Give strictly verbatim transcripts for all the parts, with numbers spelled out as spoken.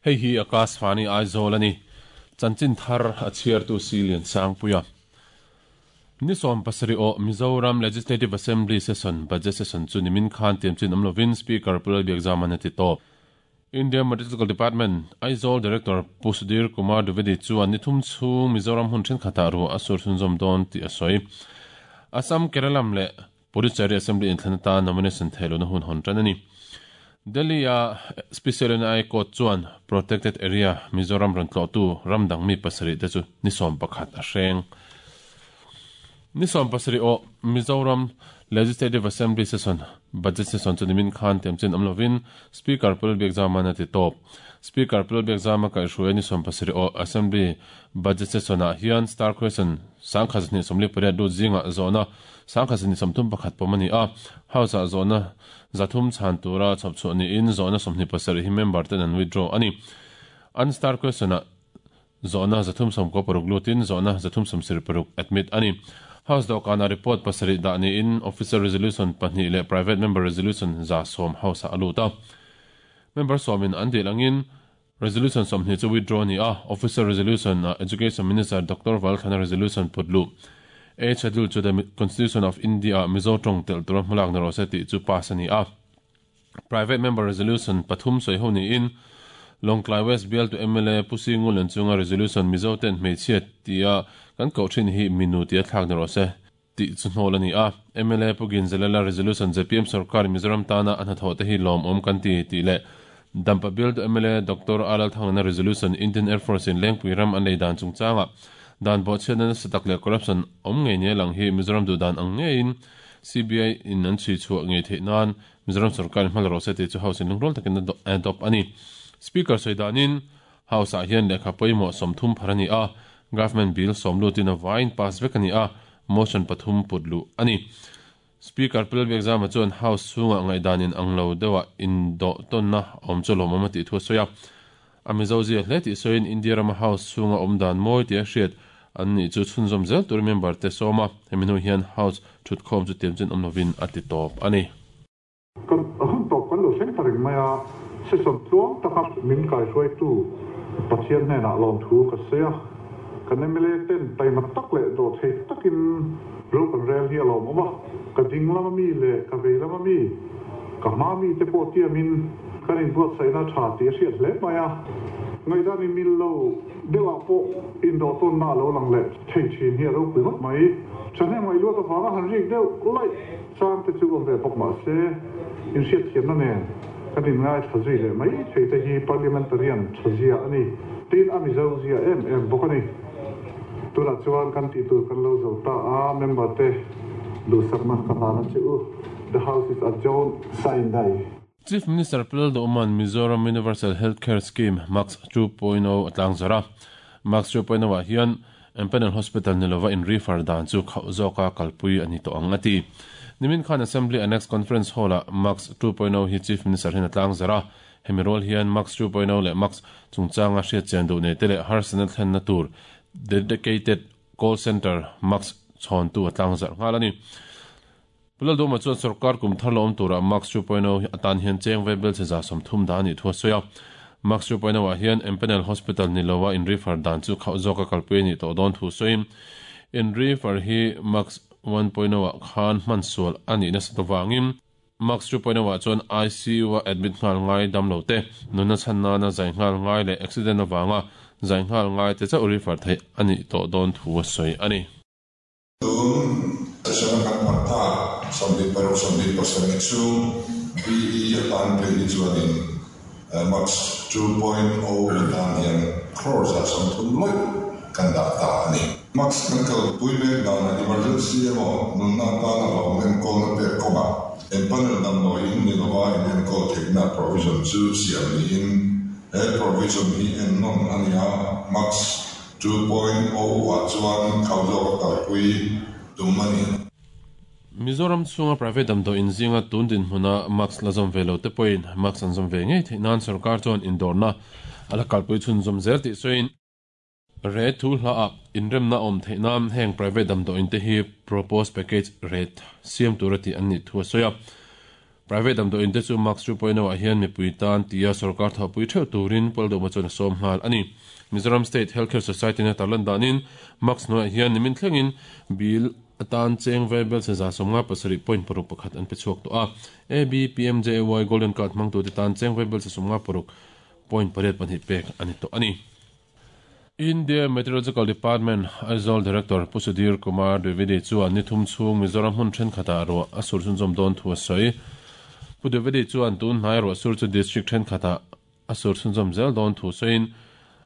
Hei hi Akashvani Aizawl ani chanchin thar a chhiar tu Silian Sangpuia ni som pasari o Mizoram Legislative Assembly session budget session chu nimin khan tiam chin amlovin speaker Pulal Biakzama na ti top India Meteorological Department Aizawl Director Pusudir Kumar Dwivedi chuan ni thum chhung Mizoram hun then khata ru asur chhunzawm dawn ti a sawi Assam Keralam le Puducherry Assembly inthlana nomination theluna hun hon tan ani Delhi a Special N I Court chuan protected area Mizoram ran tlo tu ramdang mi pasari te chu ni som pakhat a hreng ni som pasari o Mizoram Legislative Assembly session budget session chu nimin khan tem chen amlovin Speaker Pulal Biakzama na ti top Speaker Pulal Biakzama ka hruai ni som pasari o Assembly budget session a hian star question sangkha ni somli pariat lu zinga zona sangkha ni somthum pakhat pomani a house a zona zathum chan tura chapchu ni in zona somni pasari hi member ten an withdraw ani an star question a zona zathum som ko paruk lutin zona zathum som sir paruk admit ani House dokana report pasari da ni in officer resolution pahnih le private member resolution za som house a aluta member somin an dilangin resolution somni chu withdraw ni a officer resolution a education minister Doctor Valthana resolution putlu A schedule to the Constitution of India Mizo tong tel tur hmalak na rose ti chu pass ani a private member resolution pathum soi ho ni in Longklai West Bill to M L A Pusingul an chunga resolution Mizo ten hmeichhia tia kan ko thin hi minu tia thlak na rose ti chu hnol ani a M L A Pugin Zelala resolution J P M Sarkar Mizoram tana an tho te hi lom om kan ti ti le Dampa Bill to M L A Doctor Alal Thangna resolution Indian Air Force in Lengpui ram an lei dan chungchanga dan bo chen satak le corruption om nge ne lang hi Mizoram du dan ang nge in C B I in an chi chu nge the nan Mizoram sarkar hmal ro se te chu house in lungrol takin adopt ani speaker soidanin house a hian lekha poimo somthum pharani a government bill somlu tin a wine pass vek ani a motion pathum putlu ani speaker Pulal Biakzama chuan house chunga ngai danin anglo dewa in do tonna om cholom amati thu soya amizo zia hle ti soin India rama house chunga omdan moi ti a hriat an ni chu chhunzawm zel tur member te sawma heminu hian house thut khawm chu tiam chen awmlovin a ti tawp ani kan hun tawp kan lo thleng ta reng mai a session tluang taka min kai hruai tu Pathian hnenah lawm thu ka sawi a kan M L A ten taima tak leh dawh thei takin ro kan rel hi a lawm awm a ka ding lama mi leh ka vei lama mi ka hma mi te pawh tiamin kan in buat saina tha ti a hriat hle mai a ngaidan in mil lo dewa pawh in dawh tawn na lo lang leh thei thin hi a ro pui ngawt mai thahnem ngai luat avanga han rik deuh laih chang te chu awm ve bawk mah se in hriat thiamna nen kan in ngai tha zui leh mai thei te hi parliamentarian tha zia ani tin a Mizo zia em em bawk ani tunah chuan kan tih tur kan lo zo ta a member te duhsakna ka hlana che u the house is adjourned sine die Chief Minister Pulal Duman Mizoram Universal Healthcare Scheme Max two point oh atlang zara Max two point oh a hian Empanel Hospital nilova in refer dan chu khau zoka kalpui ani to angati Nimin Khan Assembly Annex Conference Hall a Max two point oh hi Chief Minister hin atlang zara hemirol hian Max two point oh le Max chungchanga hriat chen du nei tele harsana thlen na tur dedicated call center Max chon tu atlang zar ngalani Pulal Duma chuan sarkar kum thar lawm tura Max two point oh atan hian cheng ve bel che za som thum da ni thua soya Max two point oh a hian Empanel Hospital nilowa in refer dan chu khau zoka kalpui ni to don thu soim in refer hi Max one point oh a khan man sual ani na satawangin Max two point oh a chuan I C U a admit ngal ngai dam lo te nuna channa na zai ngal ngai le accident awanga zai ngal ngai te cha refer thei ani to don thu soi ani session kan parta somni paruk somni pasarih chu B E atan phei chuanin Max two point oh atan hian crores a somthum loi kan da ta ani Max kan kal pui mek dan emergency emaw nunna tana lo men kol na pek konga empanel dam lo in ni lova in en kol theihna provision chu siam ni in he provision hi en non ania Max two point oh a chuan khau zawk kalpui tumani Mizoram chunga private dam do in zinga tun din hmuna Max lazom velo te point Max an zom ve ngei thei nan sarkar chuan indorna ala kalpui chhun zom zel ti soin Rate thu hla a inremna awm theih nan heng private damdawiin te hi proposed package rate siam tura tih an nih thu a sawi a. Private damdawiin te chu Marks two point oh ah hian mipui tan tia sorkar thawhpui theuh turin Paldawma chuan a sawm nghal a ni. Mizoram State Healthcare Society na tarlan danin Marks hnuaiah hian nimin thlengin bill atan cheng vaibel se za sawmnga pasarih point paruk pakhat an pe chhuak tawh a. A B P M J A Y Golden Card hmangtute tan cheng vaibel se sawmnga paruk point pariat pahnih pek a ni tawh a ni. India Meteorological Department Aizawl Director Pu Sudhir Kumar Dwivedi chuan ni thum chhung Mizoram hmun thenkhatah ruah a sur chhunzawm dawn thu a sawi. Pu Dwivedi chuan tun hnai ruah sur chu district thenkhatah a sur chhunzawm zel dawn thu sawiin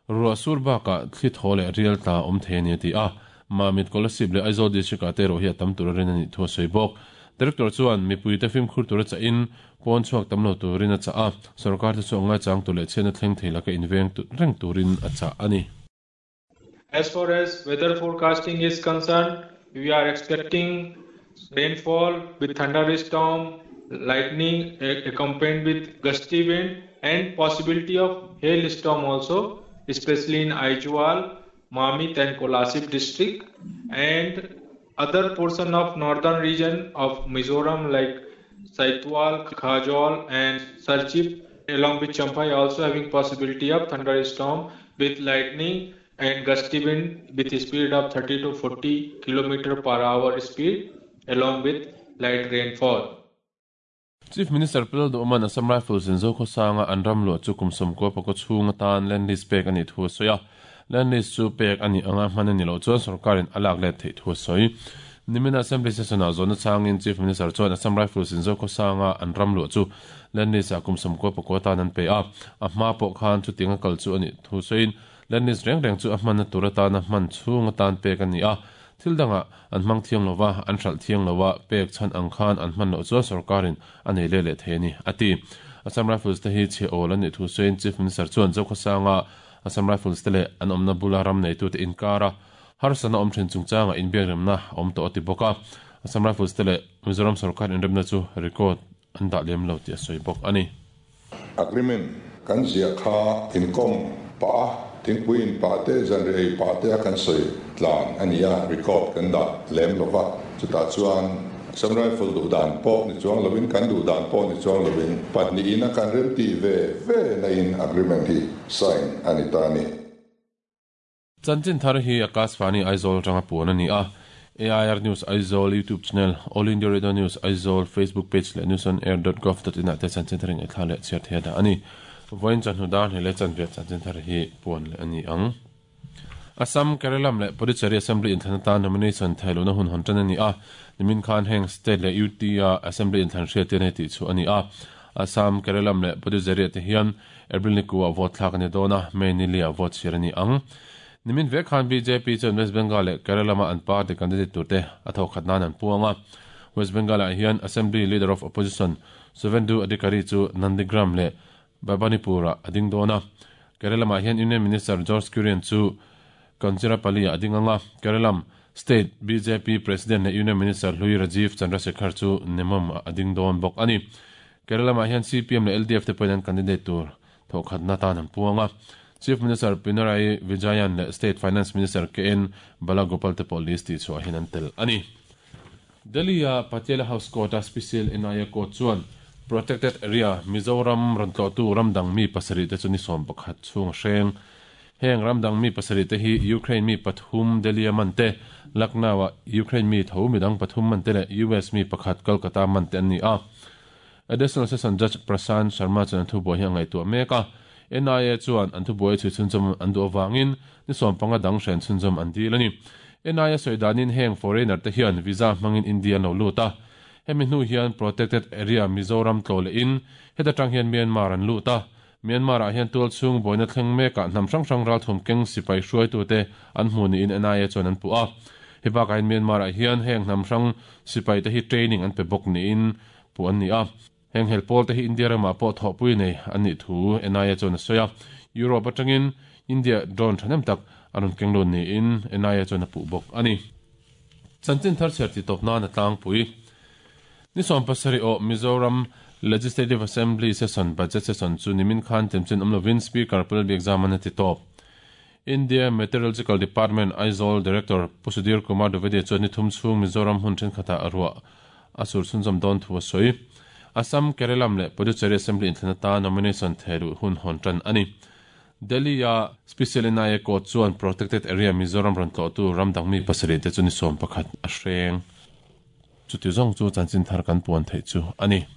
ruah sur bakah thli thaw leh rial tla awm thei a ni a ti a. Mamit Kolasib leh Aizawl district ah te erawh hi a tam tur a rin a nih thu a sawi bawk. Director chuan mipuite fimkhur tur a chahin pawn chhuak tam lo turin a chah a, sorkar te chu a ngaichang tur leh chhiatna thleng thei laka inveng reng turin a chah a ni. As far as weather forecasting is concerned, we are expecting rainfall with thunderstorm, lightning accompanied with gusty wind and possibility of hailstorm also, especially in Aizawl, Mamit and Kolasib district and other portion of northern region of Mizoram like Saitual, Khajol and Serchhip along with Champhai also having possibility of thunderstorm with lightning and gusty wind with speed of thirty to forty kilometer per hour speed along with light rainfall. Chief Minister Pil Duhman Assam Rifles in Zokhawsanga an ram luah chu kum sawmkua pakua chhung atan land lease pek a nih thu a sawi a. Land lease chu pek a nih anga hman a ni loh chuan sorkarin a lak let theih thu a sawi. Nimin Assembly session ah zawhna changin Chief Minister chuan Assam Rifles in Zokhawsanga an ram luah chu land lease ah kum sawmkua pakua atan an pe a. A hma pawh khan chuting a kal chu a nih thu sawiin land lease reng reng chu a hmanna tur atana hman chhung atan pek a ni a. Thil dangah an hmang thiang lova, an hralh thiang lova, pek chhan ang khan an hman loh chuan sorkarin a nei leh leh thei a ni, a ti. Assam Rifles te hi chhe awl a nih thu sawiin Chief Minister chuan Zokhawsanga Assam Rifles te leh an awmna bula ram neitute inkar a, harsatna awm thin chungchanga inbiakremna a awm tawh a ti bawk a. Assam Rifles te leh Mizoram sorkar inremna chu record an dah lem lo tih a sawi bawk a ni. Agreement kan ziah kha inkawm pah a, thingpui in pah te, zanri ei pah te a kan sawi tlan a ni a, record kan dah lem lova. Chutah chuan Assam Rifle duh dan pawh ni chuang lovin, kan duh dan pawh ni chuang lovin, pahnihin a kan rem tih ve ve na in agreement hi sign a ni ta a ni. Chanchin thar hi Akashvani Aizawl atanga puan a ni a. A I R News Aizawl YouTube channel, All India Radio News Aizawl Facebook page leh news on air dot gov dot in ah te chanchin thar in ngaihthla leh chhiar thei a dah a ni. Vawiin chawhnu dar hnih leh chanve chanchin thar hi puan leh a ni ang. Assam, Kerala leh Puducherry Assembly inthlan atan nomination thailohna hun hawn tan a ni a. Nimin khan heng state leh U T a Assembly inthlan hriat te nei tih chu a ni a. Assam, Kerala leh Puducherry te hian April ni kuah vote thlak a ni dawn a, May ni liah vote chhir a ni ang. Nimin ve khan B J P chuan West Bengal leh Kerala ma an party candidate turte a thawkhat nan an puang a. West Bengal ah hian Assembly Leader of Opposition Suvendu Adhikari chu Nandigram leh Bhabanipur ah a ding dawn a. Kerala ma hian Union Minister George Kurian chu Kanjirapalli ah a ding anga. Kerala State B J P President leh Union Minister Hlui Rajiv Chandrasekhar chu Nemom ah a ding dawn bawk a ni. Kerala ma hian C P M leh L D F te pawhin an candidate tur thawkhat na tan an puang a. Chief Minister Pinarayi Vijayan leh State Finance Minister K N Balagopal te pawh list tih chhuah hian an tel a ni. Delhi a Patiala House Court a Special N I A Court chuan Protected Area Mizoram rawn tlawhtu ramdang mi pasarih te chu ni sawm pakhat chhung a hreng. Heng ramdang mi pasarih te hi Ukraine mi pathum Delhi a man te, Lucknow a Ukraine mi tho midang pathum man te leh U S mi pakhat Kolkata man te an ni a. Additional Session Judge Prashant Sharma chuan an thubuai hi a ngaihtuah mek a. N I A chuan an thubuai chhui chhunzawm an duh avangin ni sawm panga dang hren chhunzawm an dil a ni. N I A sawi danin heng foreigner te hian visa hmangin India an lo lut a. Hemi hnu hian Protected Area Mizoram tlaw leh in heta tang hian Myanmar an lut a. Myanmar ah hian tual chhung buaina thleng mekah hnam hrang hrang ral thum keng sipai hruaitute an hmu niin N I A chuan an puh a. He bakah hian Myanmar ah hian heng hnam hrang sipai te hi training an pe bawk niin puh an ni a. Heng hel pawl te hi India ramah pawh thawhpui nei an nih thu N I A chuan a sawi a. Europe atangin India drone thanem tak a rawn keng lun niin N I A chuan a puh bawk a ni. Chanchin thar chhiar ti tawp nan a tlangpui. Ni sawm pasarih aw Mizoram Legislative Assembly session budget session chu nimin khan temchin awm lovin Speaker Pulal Biakzaman a ti tawp. India Meteorological Department Aizawl Director Pu Sudhir Kumar Dwivedi chuan ni thum chhung Mizoram hun thenkhatah a ruah a sur chhunzawm dawn thu a sawi. Assam, Kerala leh Puducherry Assembly inthlana ta nomination thehluh hun hawn tan a ni. Delhi a Special N I A Court chuan Protected Area Mizoram rawn tlawhtu ramdang mi pasarih te chu ni sawm pakhat a hreng. Chuti zawng chu chanchin thar kan puan theih chu a ni.